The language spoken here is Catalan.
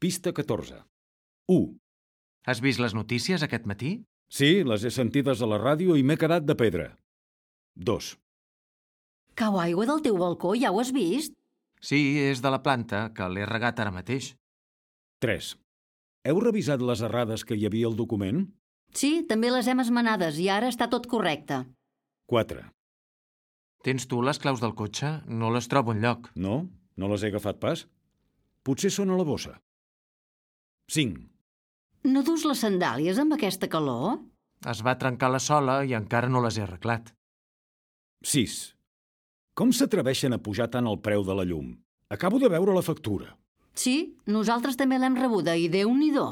Pista 14. 1. Has vist les notícies aquest matí? Sí, les he sentides a la ràdio i m'he quedat de pedra. 2. Cau aigua del teu balcó, ja ho has vist? Sí, és de la planta, que l'he regat ara mateix. 3. Heu revisat les errades que hi havia al document? Sí, també les hem esmenades i ara està tot correcte. 4. Tens tu les claus del cotxe? No les trobo enlloc. No? No les he agafat pas? Potser són a la bossa. 5. No dus les sandàlies amb aquesta calor? Es va trencar la sola i encara no les he arreglat. 6. Com s'atreveixen a pujar tant el preu de la llum? Acabo de veure la factura. Sí, nosaltres també l'hem rebuda i Déu-n'hi-do.